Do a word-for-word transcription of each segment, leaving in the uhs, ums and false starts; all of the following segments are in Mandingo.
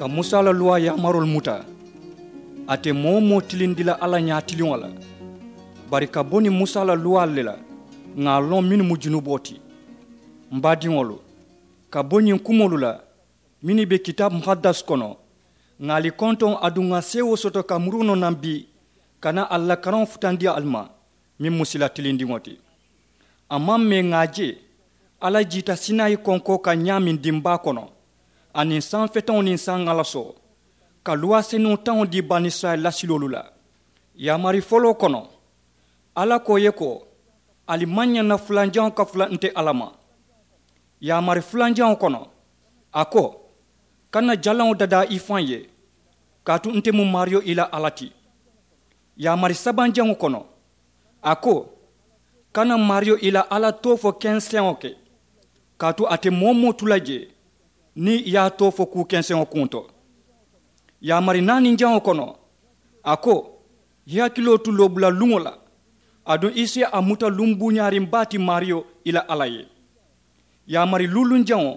Ka musa la luwaa yaamaroolu muta, a te moo-wo-moo tilindi la alla ñaatiliŋo la. Bari ka bo niŋ musa la luwaalu le la, ŋà a loŋ mennu mu junuboo ti. M baadiŋolu, ka bo ñiŋ kumoolu la mennu be kitaabu muhaddas kono, ŋà ali kontoŋ aduŋ ŋà seewoo soto ka murunoo naŋ bii, ka naa ali la karaŋo futandi ali ma, meŋ mu sila tilindiŋo ti. A maŋ mee ŋà a je alla jiita sinayi konkoo kaŋ ñaameŋ dimbaa kono, aniŋ saŋ feteŋo niŋ saŋ ŋalasoo, ka luwaa senuŋo taŋo dii banisirayila lasiloolu la. Yaamari foloo kono, alla ko ì ye ko, ali maŋ ñaŋ na fulanjaŋo ka fula nte alla ma. Yaamari fulanjaŋo kono, a ko, kana jalaŋo dadaa i faŋ ye, kaatu nte mu maariyo i la alla ti. Yaamari sabanjaŋo kono, a ko, kana maariyo i la alla too fo kenseŋo ke, kaatu a te moo-wo-moo tu la jee niŋ i ye a too fo kuu kenseŋo kuŋo to. Yaamari naaninjaŋo kono, a ko, i hakiloo tu loobula luŋo la, aduŋ i si a muta luŋ buuñaariŋ baa ti maariyo i la alla ye. Yaamari luulunjaŋo,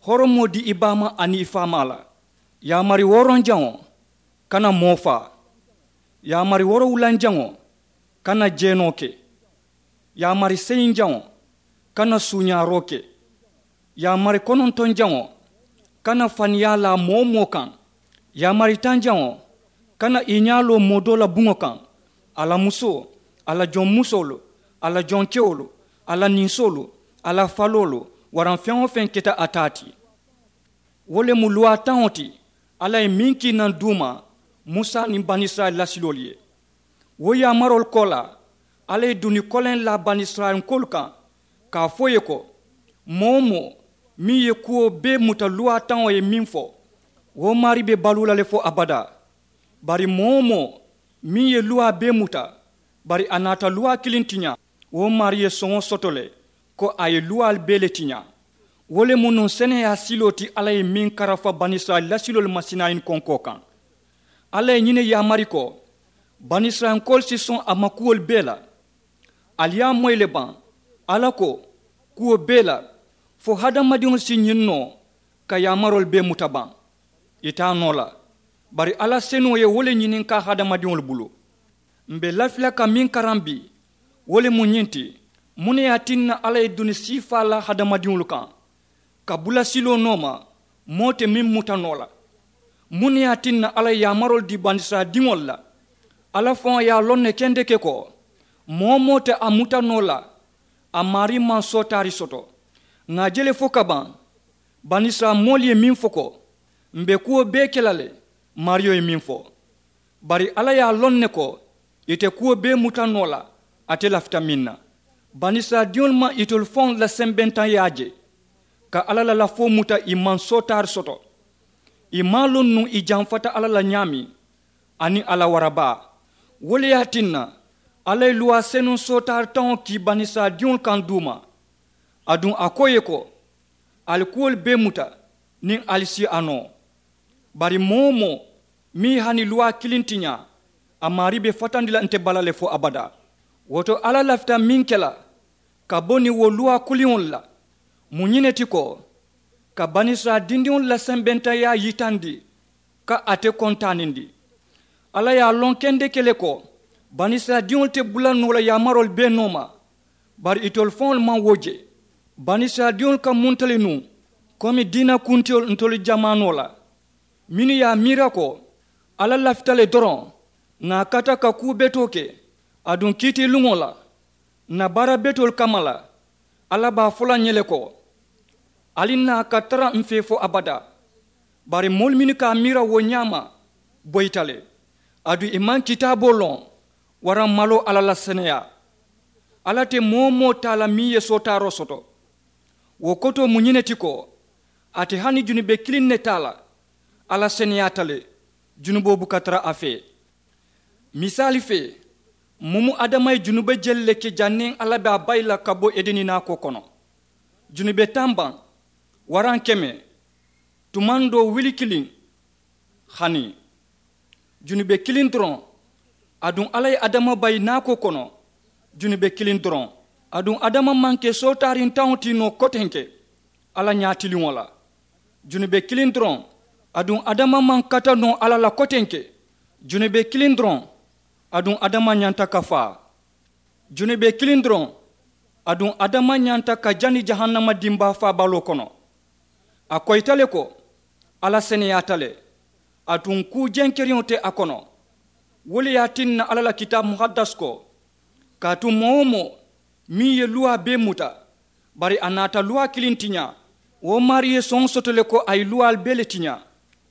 horomoo dii i baamaa aniŋ i faamaa la. Yaamari wooronjaŋo, kana moo faa. Yaamari woorowulanjaŋo, kana jeenoo ke. Yaamari seyinjaŋo, kana suuñaaroo ke. Yaamari konontonjaŋo, kana faniyaa laa moo-wo-moo kaŋ. Yaamari tanjaŋo, kana i ñaa loo moo doo la buŋo kaŋ, a la musoo, a la jonmusoolu, a la jonkewolu, a la ninsoolu, a la faloolu, waraŋ feŋ-wo-feŋ keta a taa ti. Wo le mu luwaa taŋo ti alla ye meŋ kii naŋ duuma musa niŋ banisirayila lasiloolu ye. Wo yaamaroolu koolaa, alla ye duni koleŋ laa banisirayilankoolu kaŋ, ka a fo ì ye ko, moo-wo-moo meŋ ye kuwo bee muta luwaa taŋo ye meŋ fo, wo maarii be baluu la le fo abadaa. Bari moo-wo-moo meŋ ye luwaa bee muta, bari a naata luwaa kiliŋ tiñaa, wo maarii ye soŋo soto le, ko a ye luwaalu bee le tiñaa. Wo le mu nuŋ seneyaa siloo ti alla ye meŋ karafa banisirayila lasiloolu ma sinayi konkoo kaŋ. Alla ye ñiŋ ne yaamari ko, banisirayilankoolu si soŋ a ma kuwolu bee la. Ali ye a moyi le baŋ, alla ko, kuwo bee la, fo hadamadiŋolu si ñiŋ noo ka yaamaroolu bee muta baŋ? Ì te a noo la. Bari alla senuŋo ye wo le ñininkaa hadamadiŋolu bulu. M̀ be lafi la ka meŋ karaŋ bii, wo le mu ñiŋ ti, muŋ ne ye a tinna alla ye duni siifaa laa hadamadiŋolu kaŋ, ka bula siloo nooma, moo te meŋ muta noo la? Muŋ ne ye a tinna alla ye yaamaroolu dii banisirayila diŋolu la? Alla faŋo ye a loŋ ne kendeke ko, moo-wo-moo te a muta noo la a maarii maŋ sootaari soto. Ŋà a je le fo ka baŋ, banisirayila moolu ye meŋ fo ko, m̀ be kuwo bee ke la le, maariyo ye meŋ fo. Bari alla ye a loŋ ne ko, ì te kuwo bee muta noo la ate lafita meŋ na. Banisirayila diŋolu maŋ itolu faŋolu la sembentaŋyaa je, ka alla la lafoo muta ì maŋ sootaari soto. Ì maŋ a loŋ nuŋ ì jamfata alla la ñaameŋ, aniŋ a la warabaa. Wo le ye a tinna, alla ye luwaa senuŋ sootaari taŋo kii banisirayila diŋolu kaŋ duuma. Aduŋ a ko ì ye ko, ali kuwolu bee muta, niŋ ali si a noo. Bari moo-wo-moo meŋ ye hani luwaa kiliŋ tiñaa, a maarii be fatandi la nte bala le fo abadaa. Wo to alla lafita meŋ ke la ka bo niŋ wo luwaa kuliŋolu la, mu ñiŋ ne ti ko, ka banisirayila dindiŋolu la sembentaŋyaa yitandi, ka ate kontaanindi. Alla ye a loŋ kendeke le ko, banisirayila diŋolu te bula noo la yaamaroolu bee nooma. Bari itolu faŋolu maŋ wo je. Banisirayila diŋolu ka munta le nuŋ, komi diina kuntiyolu ntolu jamaanoo la, mennu ye a miira ko, alla lafita le doroŋ ŋà a kata ka kuu betoo ke, aduŋ kiitiiluŋo la, ǹ na baara betoolu kamma la, alla be a fo la ǹ ye le ko, ali ǹ naa ka tara m̀ fee fo abadaa. Bari moolu mennu ka a miira wo ñaama, boyita le. Aduŋ ì maŋ kitaaboo loŋ, waraŋ maloo alla la seneyaa. Alla te moo-wo-moo taa la meŋ ye sootaaroo soto. Wo kotoo mu ñiŋ ne ti ko, ate hani junube kiliŋ ne taa la, alla seneyaata le, junuboo buka tara a fee. Misaali fee, mumu adama ye junube jelu le ke janniŋ alla be a bayi la ka bo edeni naakoo kono. Junube taŋ baŋ, waraŋ keme, tumandoo wuli kiliŋ, hani junube kiliŋ doroŋ. Aduŋ alla ye adama bayi naakoo kono, junube kiliŋ doroŋ. Aduŋ adama maŋ ke sootaariŋ taŋo ti noo kotenke alla ñaatiliŋo la. Junube kiliŋ doroŋ, Aduŋ adama maŋ kata noo alla la kotenke. Junube kiliŋ doroŋ. Aduŋ adama ñanta ka faa. Junube kiliŋ doroŋ. Aduŋ adama ñanta ka jani jahannama dimbaa faabaloo kono. A koyita le ko alla seneyaata le. Aduŋ kuu jenkeriŋo te a kono. Wo le ye a tinna alla la kitaabu muhaddas ko, kaatu moo-wo-moo meŋ ye luwaa bee muta, bari a naata luwaa kiliŋ tiñaa, wo maarii ye soŋo soto le ko a ye luwaalu bee le tiñaa.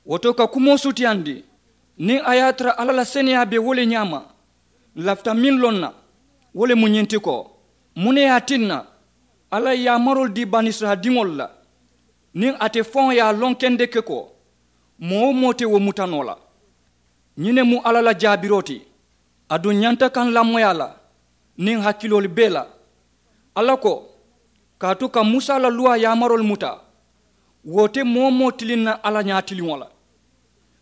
Wo to ka kumoo sutiyandi, niŋ a ye a tara alla la seneyaa be wo le ñaama, n lafita meŋ loŋ na, wo le mu ñiŋ ti ko, muŋ ne ye a tinna alla ye yaamaroolu dii banisirayila diŋolu la, niŋ ate faŋo ye a loŋ kendeke ko moo-wo-moo te wo muta noo la? Ñiŋ ne mu alla la jaabiroo ti. Aduŋ ñanta ka n lamoyi a la niŋ hakiloolu bee la. Alla ko, kaatu ka musa la luwaa yaamaroolu muta, wo te moo-wo-moo tiliŋ na alla ñaatiliŋo la,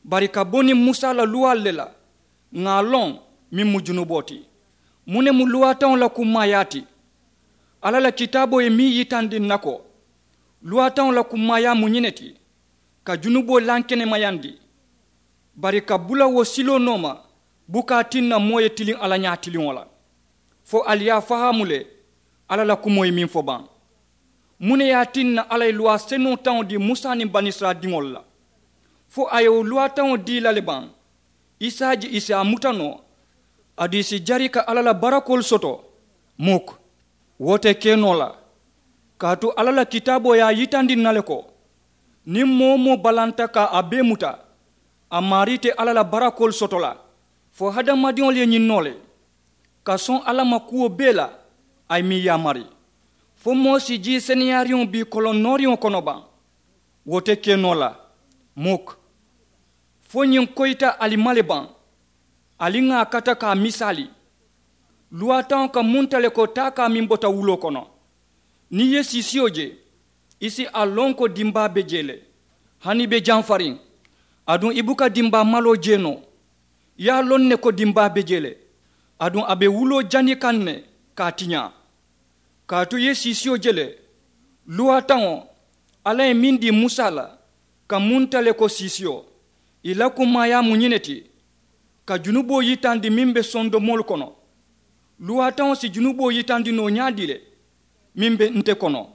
bari ka bo niŋ musa la luwaalu le la, ŋà a loŋ meŋ mu junuboo ti. Muŋ ne mu luwaataŋo la kummaayaa ti? Alla la kitaaboo ye meŋ yitandi n na ko, luwaataŋo la kummaayaa mu ñiŋ ne ti, ka junuboo lankenemayandi, bari ka bula wo siloo nooma buka a tinna moo ye tiliŋ alla ñaatiliŋo la. Fo ali ye a fahaamu le, alla la kumoo ye meŋ fo baŋ? Muŋ ne ye a tinna alla ye luwaa senuŋo taŋo dii musa niŋ banisirayila diŋolu la? Fo a ye wo luwaa taŋo dii i la le baŋ? I si a je i si a muta noo, aduŋ i si jari ka alla la barakoolu soto? Muk. Wo te ke noo la, kaatu alla la kitaaboo ye a yitandi n na le ko, niŋ moo-wo-moo balanta ka a bee muta, a maarii te alla la barakoolu soto la. Fo hadamadiŋolu ye ñiŋ noo le, ka soŋ alla ma kuwo bee la a ye meŋ yaamari. Fo moo si jii seneyaariŋo bii koloŋ nooriŋo kono baŋ? Wo te ke noo la. Muk. Fo ñiŋ koyita ali ma le baŋ? Ali ŋà a kata ka a misaali. Luwaataŋo ka munta le ko taakaa meŋ bota wuloo kono. Niŋ i ye siisiyo je, i si a loŋ ko dimbaa be jee le, hani i be jamfariŋ. Aduŋ i buka dimbaa maloo jee noo, i ye a loŋ ne ko dimbaa be jee le. Aduŋ a be wuloo jani kaŋ ne ka a tiñaa. Kaatu i ye siisiyo je le, luwaataŋo alla ye meŋ dii musa la, ka munta le ko siisiyo. I la kummaayaa mu ñiŋ ne ti, ka junuboo yitandi meŋ be sondomoolu kono. Luwaataŋo si junuboo yitandi noo ñaadii le meŋ be nte kono?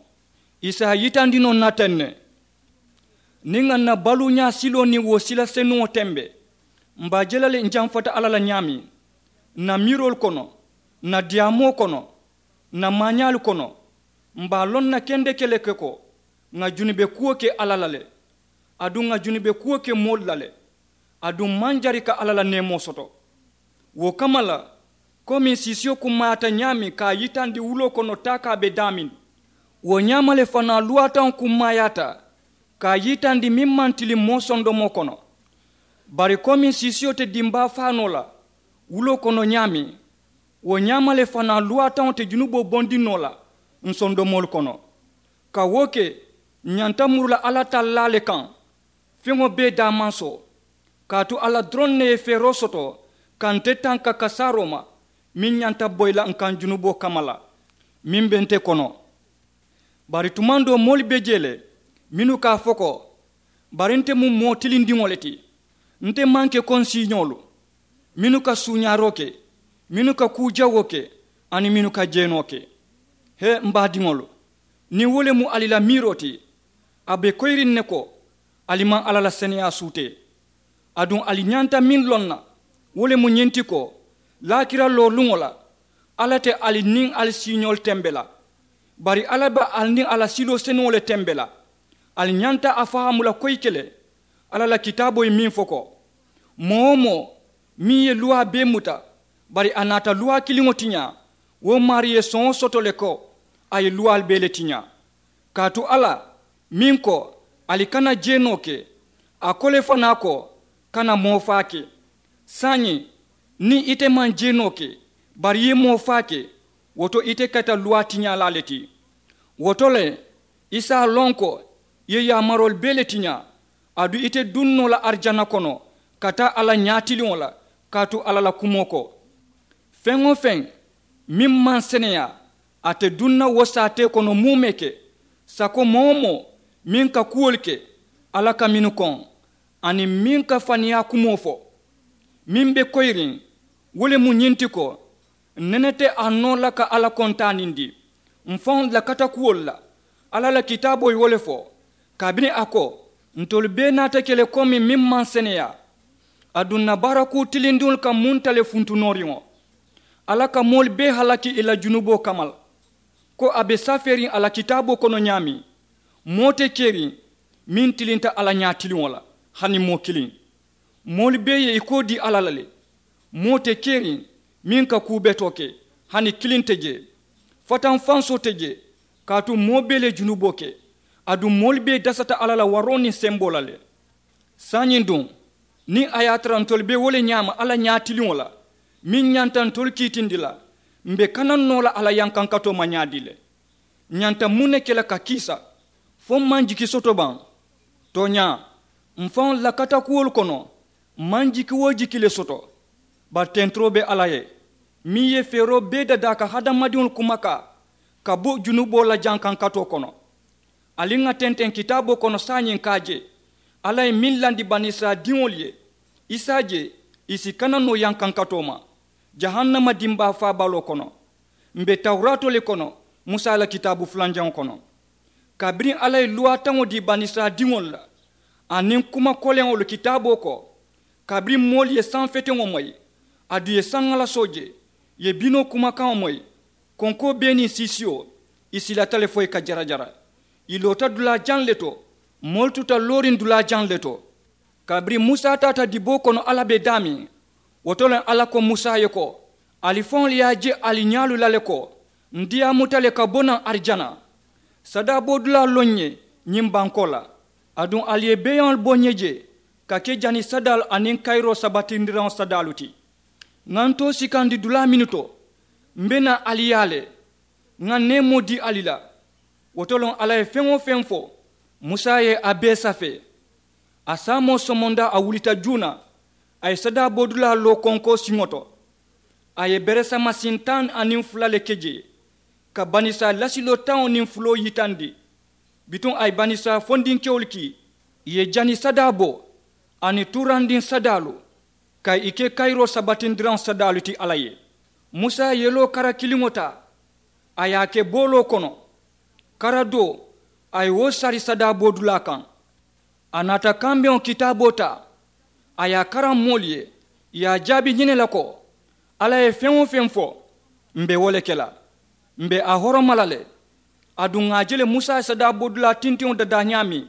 I si a yitandi noo n na teŋ ne. Niŋ ŋà n na baluuñaa siloo niŋ wo sila senuŋo tembe, m̀ be a je la le n jamfata alla la ñaameŋ, n na miiroolu kono, n na diyaamoo kono, n na maañaalu kono, m̀ be a loŋ na kendeke le ke ko ŋà junube kuwo ke alla la le, aduŋ ŋà junube kuwo ke moolu la le, aduŋ m̀ maŋ jari ka alla la neemoo soto. Wo kamma la, komiŋ siisiyo kummaayaata ñaameŋ ka a yitandi wuloo kono taakaa be daameŋ, wo ñaama le fanaa luwaataŋo kummaayaata ka a yitandi meŋ maŋ tiliŋ moo sondomoo kono. Bari komiŋ siisiyo te dimbaa faa noo la wuloo kono ñaameŋ, wo ñaama le fanaa luwaataŋo te junuboo bondi noo la ǹ sondomoolu kono. Ka wo ke, ǹ ñanta muru la alla tallaa le kaŋ feŋo bee daamansoo, kaatu alla doroŋ ne ye feeroo soto ka nte tanka kasaaroo ma meŋ ñanta boyi la ǹ kaŋ junuboo kamma la meŋ be nte kono. Bari tumaŋ doo moolu be jee le mennu ka a fo ko, bari nte mu moo tilindiŋo le ti. Nte maŋ ke ko ǹ siiñoolu mennu ka suuñaaroo ke, mennu ka kuu jawoo ke, aniŋ mennu ka jeenoo ke. He m̀ baadiŋolu, niŋ wo le mu ali la miiroo ti, a be koyiriŋ ne ko ali maŋ alla la seneyaa suutee. Aduŋ ali ñanta meŋ loŋ na, wo le mu ñiŋ ti ko, laakira looluŋo la, alla te ali niŋ ali siiñoolu tembe la, bari alla be ali niŋ a la siloo senuŋo le tembe la. Ali ñanta a fahaamu la koyike le, alla la kitaaboo ye meŋ fo ko, moo-wo-moo meŋ ye luwaa bee muta, bari a naata luwaa kiliŋo tiñaa, wo maarii ye soŋo soto le ko a ye luwaalu bee le tiñaa. Kaatu alla meŋ ko, ali kana jeenoo ke, a ko le fanaa ko, kana moo faa ke. Saayiŋ, niŋ ite maŋ jeenoo ke, bari i ye moo faa ke, wo to ite keta luwaa tiñaalaa le ti. Wo to le, i si a loŋ ko i ye yaamaroolu bee le tiñaa, aduŋ ite duŋ noo la arijana kono ka taa alla ñaatiliŋo la, kaatu alla la kumoo ko, feŋ-wo-feŋ meŋ maŋ seneyaa, ate duŋ na wo saatee kono muumee ke. Sako moo-wo-moo meŋ ka kuwolu ke, alla ka mennu koŋ, Aniŋ meŋ ka faniyaa kumoo fo, meŋ be koyiriŋ, wo le mu ñiŋ ti ko, nene te a noo la ka alla kontaanindi mfaŋolu la katakuwolu la. Alla la kitaaboo ye wo le fo, kabiriŋ a ko, ntolu bee naata ke le komi meŋ maŋ seneyaa. Aduŋ ǹ na baarakuu tilindiŋolu ka munta le funtunooriŋo. Alla ka moolu bee halaki ì la junuboo kamma la, ko a be safeeriŋ a la kitaaboo kono ñaameŋ, moo te keriŋ meŋ tilinta alla ñaatiliŋo la, hani moo kiliŋ. Moolu bee ye ì koo dii alla la le. Moo te keriŋ meŋ ka kuu betoo ke, hani kiliŋ te jee. Fataŋ fansoo te jee, kaatu moo bee le ye junuboo ke. Aduŋ moolu bee dasata alla la waroo niŋ semboo la le. Saayiŋ duŋ, niŋ a ye a tara ntolu be wo le ñaama alla ñaatiliŋo la, meŋ ñanta ntolu kiitindi la, m̀ be kana noo la alla yankankatoo ma ñaadii le? Ñanta muŋ ne ke la ka kiisa? Fo m̀ maŋ jiki soto baŋ? Tooñaa, mfaŋolu la katakuwolu kono, m̀ maŋ jiki-wo-jiki le soto. Bari tenturoo be alla ye, meŋ ye feeroo bee dadaa ka hadamadiŋolu kumakaa ka bo junuboo la jankankatoo kono. Ali ŋà tenteŋ kitaaboo kono saayiŋ ka a je, alla ye meŋ landi banisirayila diŋolu ye, i si a je, i si kana noo yankankatoo ma jahannama dimbaa faabaloo kono. M̀ be tawuraatoo le kono, musa la kitaabu fulanjaŋo kono, kabiriŋ alla ye luwaa taŋo dii banisirayila diŋolu la, aniŋ kuma koleŋolu kitaaboo ko, kabiriŋ moolu ye saŋ feteŋo moyi, aduŋ ì ye saŋ alasoo je, ì ye binoo kumakaŋo moyi, konkoo bee niŋ siisiyo, ì silata le fo ì ka jarajara. Ì loota dulaa jaŋ le to, moolu tuta looriŋ dulaa jaŋ le to. Kabiriŋ musa taata diboo kono alla be daameŋ, wo to le alla ko musa ye ko, ali faŋolu ye a je ali ñaalu la le ko, ǹ diyaamuta le ka bo naŋ arijana. Sadaaboo dulaa loŋ ye ñiŋ bankoo la, aduŋ ali ye beeyaŋolu bo ǹ ye je ka ke jani sadaalu aniŋ kayiroo sabatindiraŋo sadaalu ti. Ŋà ntoo sikandi dulaa mennu to, m̀ be naa ali yaa le, ŋà neemoo dii ali la. Wo to loŋ alla ye feŋ-wo-feŋ fo, musa ye a bee safee. A saamoo somondaa a wulita juuna, a ye sadaaboo dulaa loo konkoo siŋo to. A ye beresama siŋ taŋ aniŋ fula le ke jee, ka banisirayila lasiloo taŋo niŋ fuloo yitandi. Bituŋ a ye banisirayila fondinkewolu kii, ì ye jani sadaaboo aniŋ tuurandiŋ sadaalu, ka ì ke kayiroo sabatindiraŋo sadaalu ti alla ye. Musa ye yeloo kara kiliŋo taa, a ye a ke booloo kono, kara doo, a ye wo sari sadaaboo dulaa kaŋ. A naata kambeŋo kitaaboo taa, a ye a karaŋ moolu ye, ì ye a jaabi ñiŋ ne la ko, alla ye feŋ-wo-feŋ fo, m̀ be wo le ke la. M̀ be a horoma la le. Aduŋ ŋà a je le musa ye sadaaboo dulaa tintiŋo dadaa ñaameŋ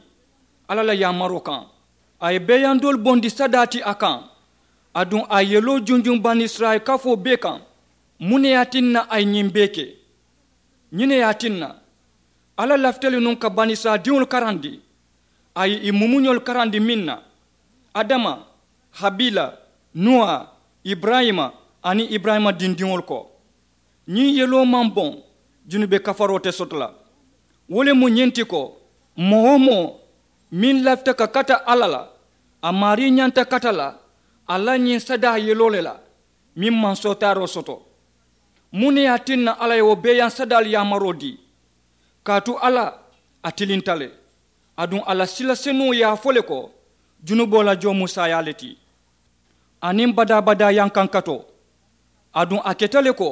alla la yaamaroo kaŋ, a ye beeyaŋ doolu bondi sadaa ti a kaŋ. Aduŋ a ye yeloo junjuŋ banisirayila kafoo bee kaŋ. Muŋ ne ye a tinna a ye ñiŋ bee ke? Ñiŋ ne ye a tinna alla lafita le nuŋ ka banisirayila diŋolu karandi. A ye ì mumuñolu karandi meŋ na, adama, habila, nuwa, iburayima, aniŋ iburayima dindiŋolu ko. Ñiŋ yeloo maŋ boŋ, junube kafaroo te soto la. Wo le mu ñiŋ ti ko, moo-wo-moo meŋ lafita ka kata alla la, a maarii ñanta kata la a la ñiŋ sadaa yeloo le la, meŋ maŋ sootaaroo soto. Muŋ ne ye a tinna alla ye wo beeyaŋ sadaalu yaamaroo dii? Kaatu alla, a tilinta le. Aduŋ a la sila senuŋo ye a fo le ko, junuboo la joo mu saayaa le ti, aniŋ badaa-badaa yankankatoo. Aduŋ a keta le ko,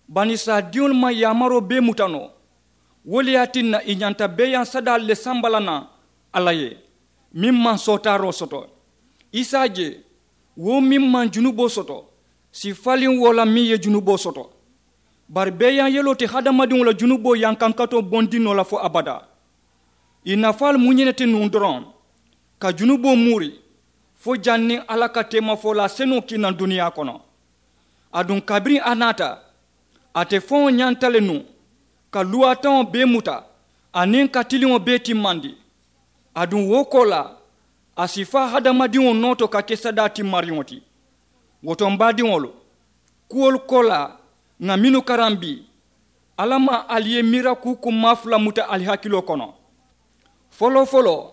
banisirayila diŋolu maŋ yaamaroo bee muta noo. Wo le ye a tinna ì ñanta beeyaŋ sadaalu le samba la naŋ alla ye, meŋ maŋ sootaaroo soto. I si a je, wo meŋ maŋ junuboo soto si faliŋ wo la meŋ ye junuboo soto. Bari beeyaŋ yeloo te hadamadiŋo la junuboo yankankatoo bondi noo la fo abadaa. Ì nafaalu mu ñiŋ ne ti nuŋ doroŋ, ka junuboo muuri fo janniŋ alla ka teemafolaa senuŋo kii naŋ duniyaa kono. Aduŋ kabiriŋ a naata, ate faŋo ñanta le nuŋ ka luwaataŋo bee muta aniŋ ka tiliŋo bee timmandi. Aduŋ wo koolaa, a si faa hadamadiŋo noo to ka ke sadaa timmariŋo ti. Wo to m baadiŋolu, kuwolu koolaa ŋà mennu karaŋ bii, alla maŋ ali ye miira kuu kummaa fula muta ali hakiloo kono. Foloo-foloo,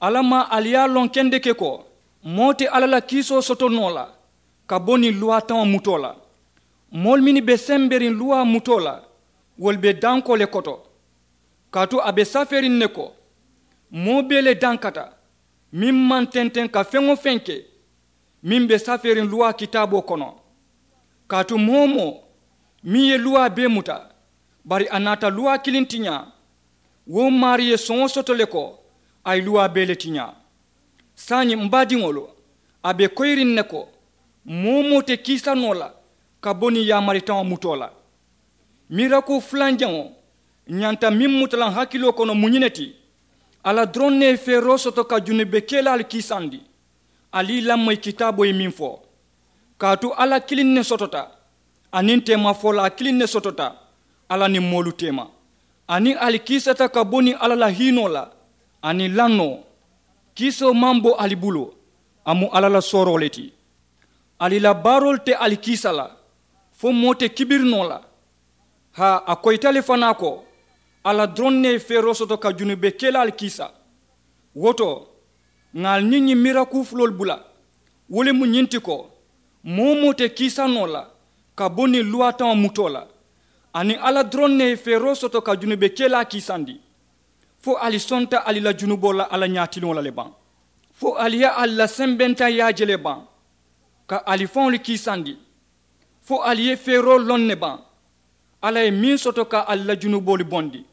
alla maŋ ali ye a loŋ kendeke ko, moo te alla la kiisoo soto noo la ka bo niŋ luwaataŋo mutoo la. Moolu mennu be semberiŋ luwaa mutoo la, wolu be dankoo le koto. Kaatu a be safeeriŋ ne ko, moo bee le dankata, Meŋ maŋ tenteŋ ka feŋ-wo-feŋ ke meŋ be safeeriŋ luwaa kitaaboo kono. Kaatu moo-wo-moo meŋ ye luwaa bee muta, bari a naata luwaa kiliŋ tiñaa, wo maarii ye soŋo soto le ko a ye luwaa bee le tiñaa. Saayiŋ m baadiŋolu, a be koyiriŋ ne ko moo-wo-moo te kiisa noo la ka bo niŋ yaamari taŋo mutoo la. Mirakuu fulanjaŋo ñanta meŋ muta la n hakiloo kono mu ñiŋ ne ti. Alla doroŋ ne ye feeroo soto ka junubekelaalu kiisandi. Ali i lamoyi kitaaboo ye meŋ fo, kaatu alla kiliŋ ne sotota, aniŋ teemafolaa kiliŋ ne sotota alla niŋ moolu teema. Aniŋ ali kiisata ka bo niŋ alla la hiinoo la aniŋ lannoo. Kiisoo maŋ bo ali bulu, a mu alla la sooroo le ti. Ali la baaroolu te ali kiisa la, fo moo te kibiri noo la. Haa, a koyita le fanaa ko alla doroŋ ne ye feeroo soto ka junubekelaalu kiisa. Wo to, ŋà ali niŋ ñiŋ mirakuu fuloolu bula. Wo le mu ñiŋ ti ko moo-wo-moo te kiisa noo la ka bo niŋ luwaataŋo mutoo la. Aniŋ alla doroŋ ne ye feeroo soto ka junubekelaa kiisandi. Fo ali sonta ali la junuboo la alla ñaatiliŋo la le baŋ? Fo ali ye ali la sembentaŋyaa je le baŋ ka ali faŋolu kiisandi? Fo ali ye feeroo loŋ ne baŋ alla ye meŋ soto ka ali la junuboolu bondi?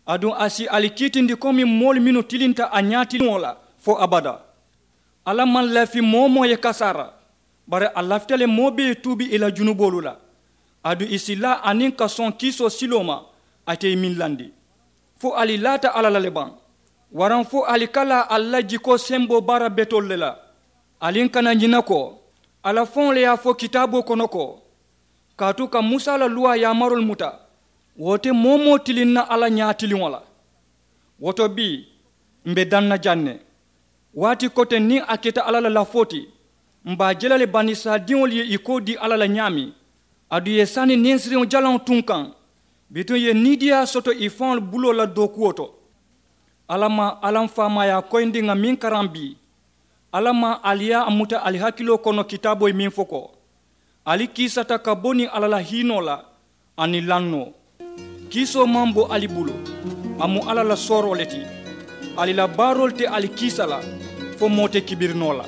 Aduŋ a si ali kiitindi komi moolu mennu tilinta a ñaatiliŋo la fo abadaa. Alla maŋ lafi moo-wo-moo ye kasaara, bari a lafita le moo bee ye tuubi ì la junuboolu la. Aduŋ ì si laa aniŋ ka soŋ kiisoo siloo ma ate ye meŋ landi. Fo ali laata alla la le baŋ? Waraŋ fo ali ka laa ali la jikoo semboo baara betoolu le la? Ali n kana ñina ko alla faŋo le ye a fo kitaaboo kono ko, kaatu ka musa la luwaa yaamaroolu muta, wo te moo-wo-moo tilinna alla ñaatiliŋo la. Wo to bii, m̀ be daŋ na jaŋ ne. Waati koteŋ niŋ a keta alla la lafoo ti, m̀ be a je la le banisirayila diŋolu ye ì koo dii alla la ñaameŋ. Aduŋ ì ye sani ninsiriŋo jalaŋo tunkaŋ, bituŋ ì ye niidiyaa soto ì faŋolu buloo la dookuwo to. Alla maŋ alla m faamaayaa koyindi ŋà meŋ karaŋ bii. Alla maŋ ali ye a muta ali hakiloo kono kitaaboo ye meŋ fo ko, ali kiisata ka bo niŋ alla la hiinoo la aniŋ lannoo. Kiisoo maŋ bo ali bulu, a mu alla la sooroo le ti. Ali la baaroolu te ali kiisa la, fo moo te kibiri noo la.